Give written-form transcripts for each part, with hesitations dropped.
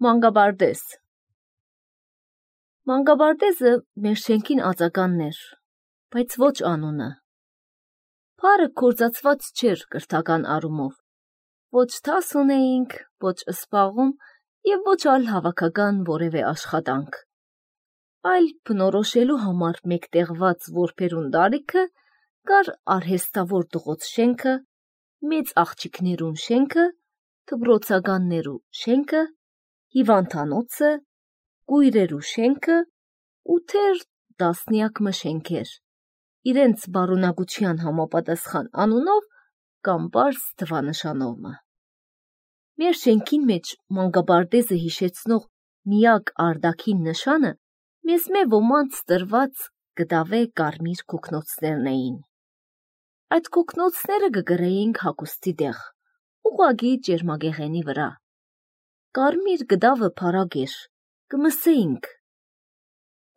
Մանգաբարդես Մանգաբարդեզը մեր շենքին ածականն էր, բայց ոչ անունը։ Փարը կործացված չէր կրթական առումով, ոչ թաս ունեինք, ոչ սպաղում և ոչ այլ հավաքական որևէ աշխատանք, այլ բնորոշելու համար մեկտեղված որբերուն դարիքը կար արհեստավոր դղոց շենքը, մեծ աղջիկներուն շենքը, դպրոցականներու շենքը, հիվանդանոցը, կույրերու շենքը ու թեր տասնյակ շենքեր, իրենց բարունակության համապատասխան անունով կամ պարզ թվանշանով։ Մեր շենքին մեջ մանգաբարդեզը հիշեցնող միակ արտաքին նշանը մեզ ոմանց տրված գդավե կարմիր կոկնոցներն էին։ Այդ կոկնոցները կգրեինք հագուստի տեղ, ուղղակի ճերմագեղենի վրա։ Կարմիր գդավը փարագ էր, կմսեինք։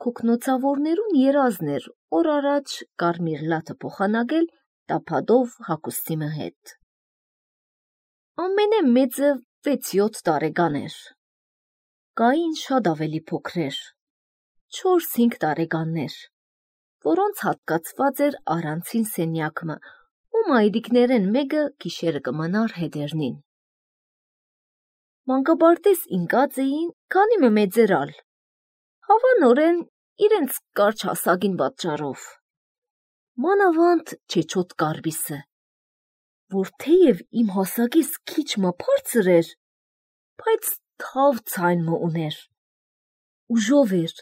Կոկնոցավորներուն երազն էր օր առաջ կարմիր լաթը փոխանակել տափադով հագուստի հետ։ Ամենամեծը 6-7 տարեկան էր։ Կային շատ ավելի փոքրեր, 4-5 տարեկաններ, որոնց հատկացված էր առանցին սենյակը ու մայրիկներեն մեկը գիշերը կմնար հետերնին։ Մանկաբարձ ինկած էին, քանի մեծերալ, հավանորեն իրենց կարճ հասակին պատճառով։ Մանավանդ չեչոտ կարմիսը, որ թեև իմ հասակիս քիչ բարձր էր, բայց թավ ցայն ուներ, ուժով էր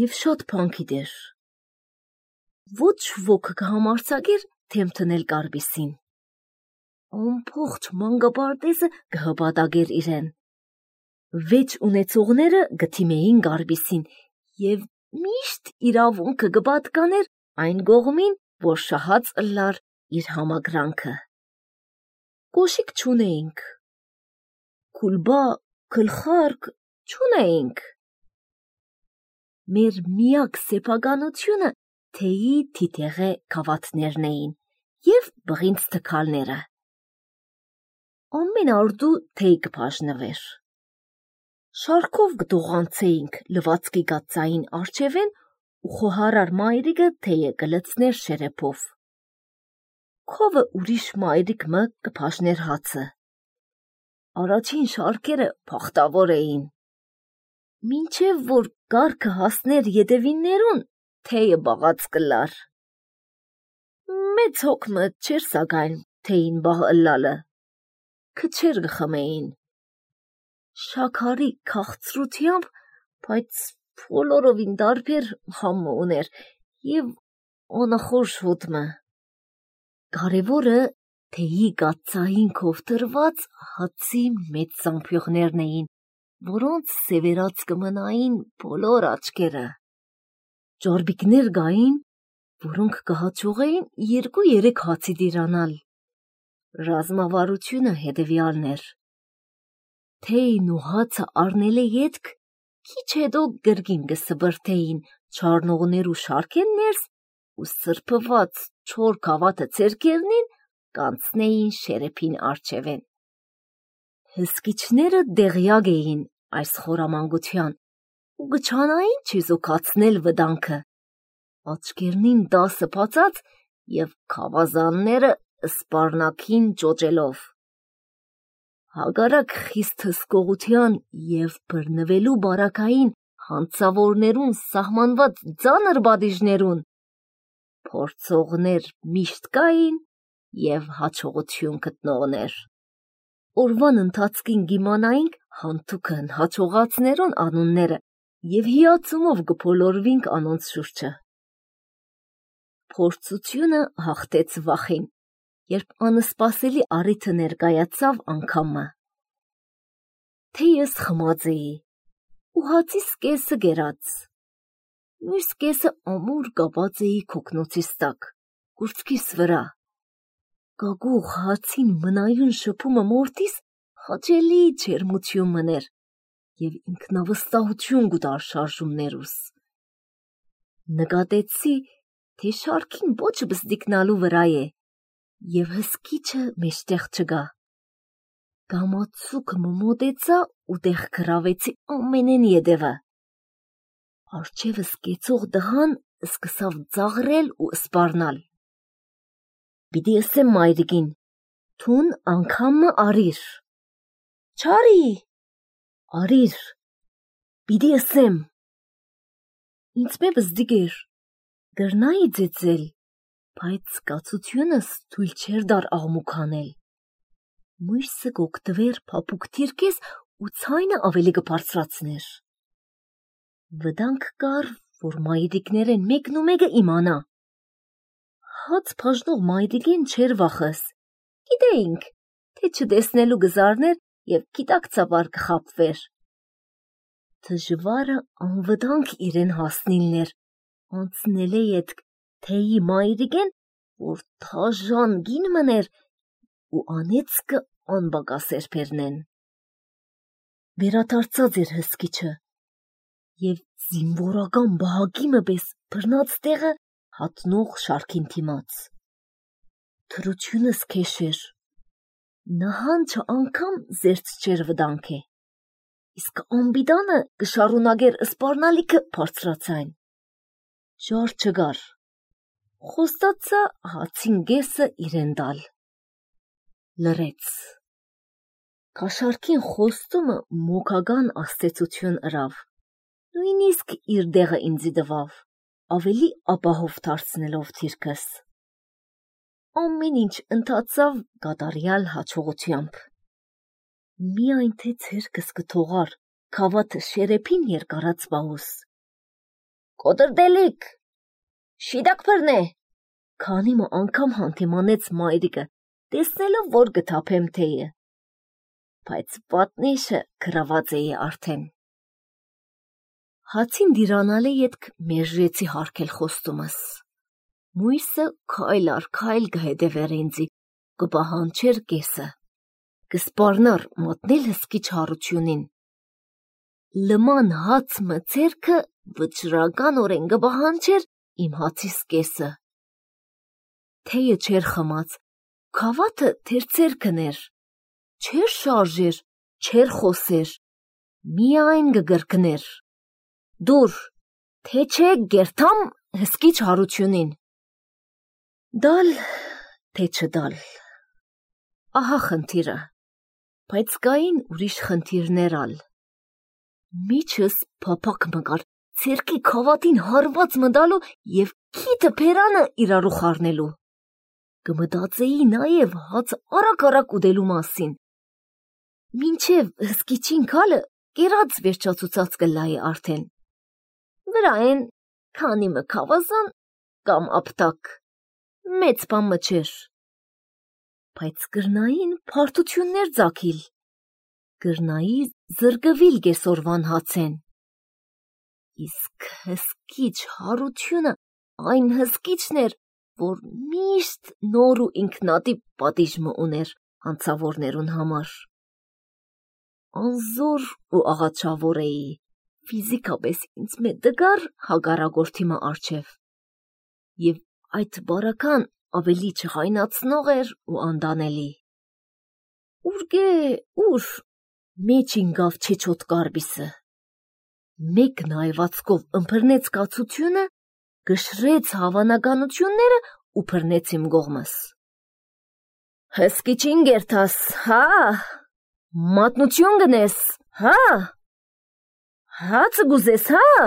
և շատ փանքիդ էր։ Ոչ ոք կհամարձակեր դեմ տնել կարմիսին։ Ամբողջ մանկաբարձը կհպատակեր իրեն։ 6 ունեցողները կդիմեին կարմիսին և միշտ իրավունքը կպատկաներ այն կողմին, որ շահած ըլլար իր համակրանքը։ Կոշիկ չունեինք, քուլբա, գլխարկ չունեինք։ Մեր միակ սեփականությունը թեյի թիթեղե գավաթներն էին և բղինձ թքալները։ Ամեն արդու թեյ կբաժնվեր։ Շարքով կտողանցեինք լվացքի կաթսային առջևեն ու խոհարար մայրիկը թեյը կլցներ շերեփով։ Քովը ուրիշ մայրիկ կբաժներ հացը։ Առաջին շարքերը բախտավոր էին։ Մինչև որ կառքը հասներ ետևիններուն, թեյը բաղած կլար։ Մեծ հոգ չէր սակայն թեյին բաղ ըլլալը, քչեր կխմեին։ Շաքարի քաղցրությամբ, բայց բոլորովին տարբեր համը ուներ և անախորժ հոտ։ Կարևորը թեյի կաթսային քով տրված հացի մեծ զամբյուղներն էին, որոնց սևերած կմնային բոլոր աչքերը։ Ճարպիկներ կային, որոնք կհաջողեին 2-3 հացի տիրանալ։ Ռազմավարությունը հետևյալն էր. թեյն ու հացը առնելը ետք, քիչ հետո կրկին կսբրդեին չառնողներու շարքեն ներս ու սրբված չոր գավաթը ձեռքերնին կանցնեին շերեփին առջևեն։ Հսկիչները դեղյակ էին այս խորամանկության ու կչանային չեզոքացնել վտանգը, աչքերնին 10 բացած և գավազանները սպառնակին ճոճելով։ Հակառակ խիստ հսկողության և բռնվելու բարակային հանցավորներուն սահմանված ծանր պատիժներուն, փորձողներ միշտ կային և հաջողություն գտնողներ։ Օրվան ընթացքին կիմանայինք հանցուկն հաջողածներուն անունները և հիացումով կբոլորվեինք անոնց շուրջը։ Փորձությունը հաղթեց վախին, երբ անսպասելի առիթը ներկայացավ անգամը։ Թեյս խմած էի ու հացիս կեսը կերած, մյուս կեսը ամուր կապած էի քոկնոցիս տակ, կուրծքիս վրա։ Կագուղ հացին մնայուն շփումը մորթիս հաճելի ջերմություն մներ և ինքնավստահություն կտար շարժումներուս։ Նկատեցի, թե շարքին ոչ բզդիկնալու վրա է և հսկիչը մեջտեղ չկա։ Գամացուկ մոտեցա ու տեղ գրավեցի ամենեն ետևը։ Արջևս կեցող դղան սկսավ ծաղրել ու սպառնալ։ Պիտի ասեմ մայրիկին, թուն անգամը արիր։ Չարի, արիր, պիտի ասեմ։ Ինձ բզդիգեր, գրնայի ձեծել, բայց կացությունս թույլ չեր դար աղմուքանել։ Մույսը գոգտվեր փափուկ թիրքես ու ցայնը ավելի կբարձրացներ։ Վտանգ կար, որ մայրիկներեն մեկն ու մեկը իմանա։ Հաց բաժնող մայրիկին չեր վախս։ Գիտեինք, թե չտեսնելու գզարներ և գիտակցաբար կխապվեր։ Դժվարը անվտանգ իրեն հասնիլներ, անցնել է ետք թեյի մայրիկեն, որ թաժան գին մներ ու անեծկը անբակասեր պերնեն։ Վերադարձած էր հսկիչը և զինվորական բահակիմը պես բռնած տեղը հատնող շարքին թիմաց։ Թրությունս քեշեր, նահանջը անգամ զերծ չեր վտանգ է, իսկ ամբիդանը կշարունակեր սպառնալիքը բարձրացայն։ Ժար չգար, խոստացա հացին գեսը իրեն տալ։ Լրեց։ Կաշարքին խոստումը մոքական աստեցություն ըրավ, նույնիսկ իր դեղը ինձի տվավ, ավելի ապահով դարձնելով թիրքս։ Ամեն ինչ ընթացավ կատարյալ հաջողությամբ։ Միայն թե ցերկս կթողար քավաթը շերեփին երկարած պահուս։ Կոտրդելիք, շիդակ բռնե, քանի մը անգամ հանդիմանեց մայրիկը, տեսնելով, որ գթափեմ թեյը, բայց պատնեշը գրաված էի արդեն։ Հացին դիրանալե ետք մերժեցի հարկել խոստումս։ Մույսը քայլ առ քայլ կհետևեր ինձի, կպահանջեր կեսը, կսպառնար մատնել հսկիչ հարությունին։ Լման հաց մցերքը վճռականորեն կպահանջեր իմ հացիս կեսը։ Թեյը չեր խմած, քավաթը թեր ցերքն էր, չեր շարժեր, չեր խոսեր, միայն կգրկներ։ Դուր, թե չէ գերթամ հսկիչ հարությունին։ Դալ, թե չդալ։ Ահա խնդիրը, բայց կային ուրիշ խնդիրներ ալ։ Միջս փափակ մկար ցերքի քավաթին հարված մտալու և քիթը փերանը իրարու խառնելու։ Կմտածեի նաև հաց արագ ուտելու մասին։ Մինչև հսկիչին քալը կերած վերջացուցած կլայի արդեն։ Վրայեն քանի մը քավազան կամ ապտակ, մեծ բան մը չէր։ Բայց կրնային փարթություններ ձակիլ, կրնայի զրկվիլ կեսորվան հացեն։ Իսկ հսկիչ հարությունը այն հսկիչն էր, որ միշտ նոր ու ինքնատիպ պատիժ մը ուներ հանցավորներուն համար։ Անզոր ու աղաչավոր էի, ֆիզիկապես ինձ մե դգար հագարագործի մը արջև, և այդ բարական ավելի չխայնացնող էր ու անդանելի։ Ուրգե, ուր, մեջ ինգավ չեչոտ կարբիսը։ Մեկ նայվածքով ըմբռնեց կացությունը, գշրեց հավանականությունները ու բռնեց իմ կողմս։ Հսկիչին գերթաս, հա, մատնություն գնես, հա, հացը գուզես, հա։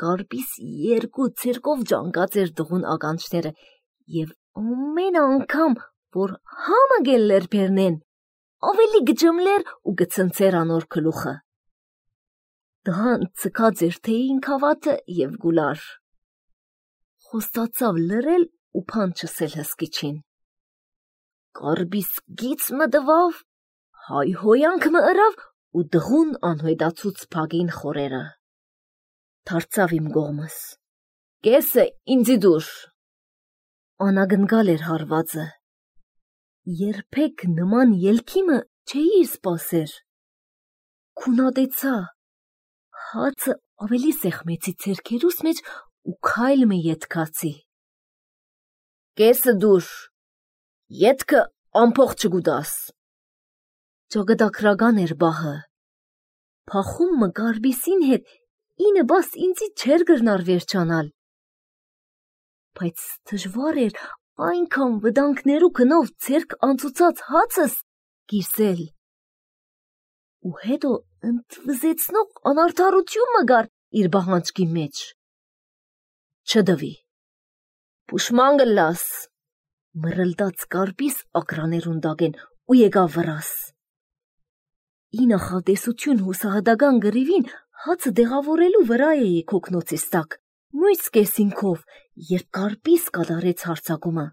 Կարբիս երկու ցերկով ջանկած էր դղուն ականջները և ամեն անգամ, որ համը գելլեր պերնեն, ավելի գջմլեր ու գցնցեր անոր գլուխը։ Դհան ցկած էր թեյին քավաթը և գուլար։ Խոստացավ լրել ու բան չսել հսկիչին։ Կարբիս գիծ մը տվավ, հայհոյանք մը ըրավ ու դղուն անհոյտացուց փագին խորերը։ Դարձավ իմ կողմս։ Կեսը ինձի դուր։ Անագնկալ էր հարվածը։ Երբեք նման ելքի մը չէի սպասեր։ Քունատեցա։ Հացը ավելի սեղմեցի ցերքերուս մեջ ու քայլ մը ետքացի։ Կեսը դուր, ետքը ամփոխ չգուտաս։ ճակատագրական էր բահը։ Փախումը Գարբիսին հետ ինը բաս ինձի չեր գրնար վերջանալ։ Բայց դժվար էր այնքան վտանգներու գնով ձերք անցուցած հացս գիրսել։ Ու հետո ընդվզեցնող անարդարություն մը գար իր բահանջքի մեջ։ Չդվի։ Պուշման գլաս, մռլդաց Գարբիս ակրաներուն դագեն ու եկավ վրաս։ Ի նախատեսություն հուսահատական գրիվին հացը դեղավորելու վրա էի քոքնոցիս տակ, մույս կեսինքով, երբ Գարբիս կատարեց հարձակումը։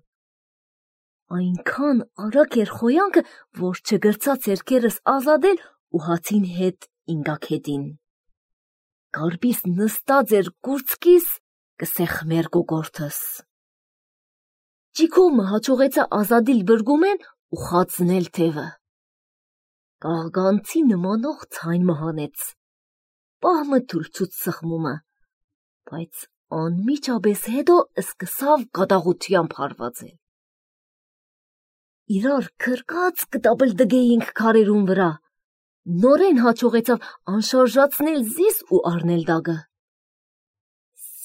Այնքան արագ էր խոյանքը, որ չգրցած երգերս ազատել ու հացին հետ ինգակետին։ Գարբիս նստած էր կուրծքիս, կսեխմեր գոգորթս։ Ճիքովը հաջողեցա ազատիլ բրգումեն ու խածնել թևը։ Կաղգանցի նմանող ցայն մհանեց։ Պահմը թուլցուց սխմումը, բայց անմիջապես հետո սկսավ կատաղությամբ հարվածել։ Իրար քրկած կտապլդգեինք քարերուն վրա։ Նորեն հաջողեցավ անշարժացնել զիս ու առնել դագը։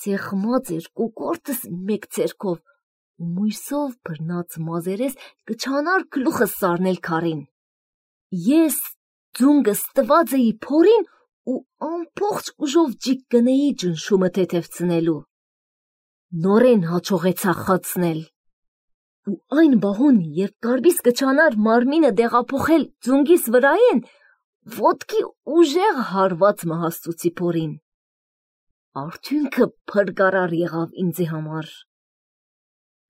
Սեղմած էր կոկորտս մեկ ձերքով ու մույսով բռնած մազերես կչանար գլուխս սարնել քարին։ Ես ձունգս տված էի փորին ու ամբողջ ուժով ջիկ գնեի ջնշումը թեթևցնելու։ Նորեն հաջողեցա խացնել։ Ու այն բահուն, երբ Գարբիս կչանար մարմինը դեղափոխել ձունգիս վրայեն, ոտքի ուժեղ հարված մահաստուցի փորին։ Արդյունքը փրկարար եղավ ինձի համար։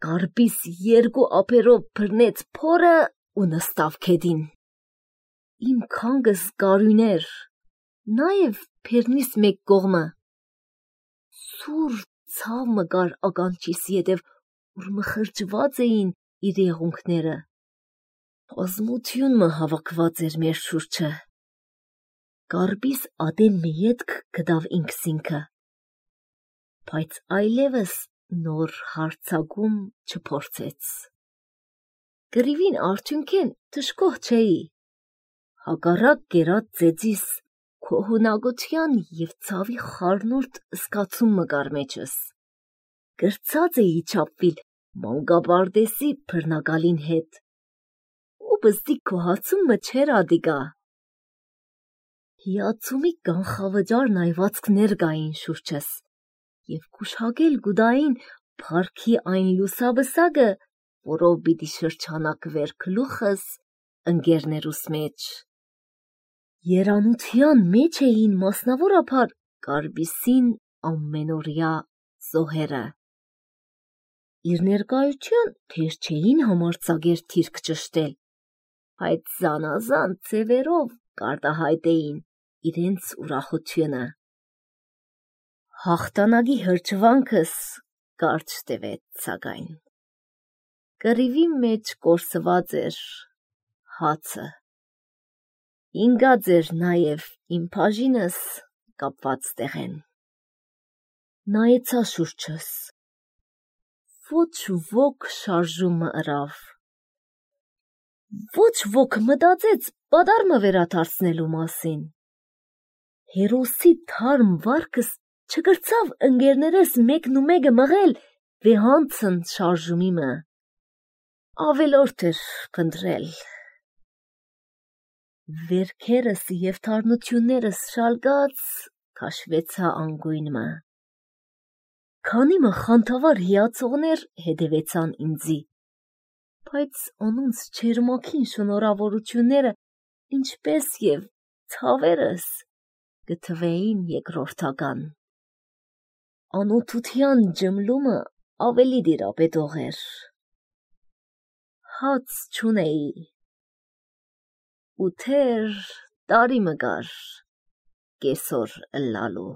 Գարբիս երկու ափերով բռնեց փորը ու նստավ քեդին։ Իմ քանգս գարույներ, նաև փերնիս մեկ կողմը։ Սուր ցավ մը գար ականջիս ետև, որ մխրջված էին իր եղունքները։ Ազմություն մը հավաքված էր մեր շուրջը։ Գարբիս ադեմ մի ետք գտավ ինքսինքը, բայց այլևս նոր հարցակում չփորձեց։ Գրիվին արդյունքեն թշկող չէի։ Հակառակ գերած ձեծիս քոհունակության և ցավի խառնուրդ զգացում մը կար մեջս։ Գրցած էի չափվիլ մանկապարտեզի բռնակալին հետ։ Ու բզդի քոհացում մը չէր ադիգա։ Հիացումի կանխավճար նայվածքներ կային շուրջս և գուշակել գուդային փառքի այն լուսաբսակը, որով պիտի շրջանակվեր գլուխս ընկերներուս մեջ։ Երանության մեջ էին մասնավորապես Գարբիսին ամենօրյա զոհերը։ Իր ներկայության թեր չէին համարձակեր թիրք ճշտել, բայց զանազան ձևերով կարտահայտեին իրենց ուրախությունը։ Հաղթանակի հրճվանքս կարճ տևեց, սակայն։ Կռիվի մեջ կորսված էր հացը։ Ինգած էր նաև իմ բաժինս կապված տեղեն։ Նայեցա շուրջս։ Ոչ ոք շարժումը ըրավ։ Ոչ ոք մտածեց պադարմը վերադարձնելու մասին։ Հերոսի թարմ վարքս չգրցավ ընկերներս մեկն ու մեկը մղել վեհանցն շարժումի մը։ Ավելորդ էր փնտրել։ Վերքերս և թարնություններս շալկած քաշվեցա անգույն մը։ Քանի մը խանդավառ հիացողներ հետևեցան ինձի, բայց անոնց ջերմակին շնորհավորությունները, ինչպես և ցավերս, կթվեին երկրորդական։ Անօթության ջմլումը ավելի տիրապետող էր։ Հաց չունեի։ Ու թեր տարի մը կար կեսօր ըլլալու։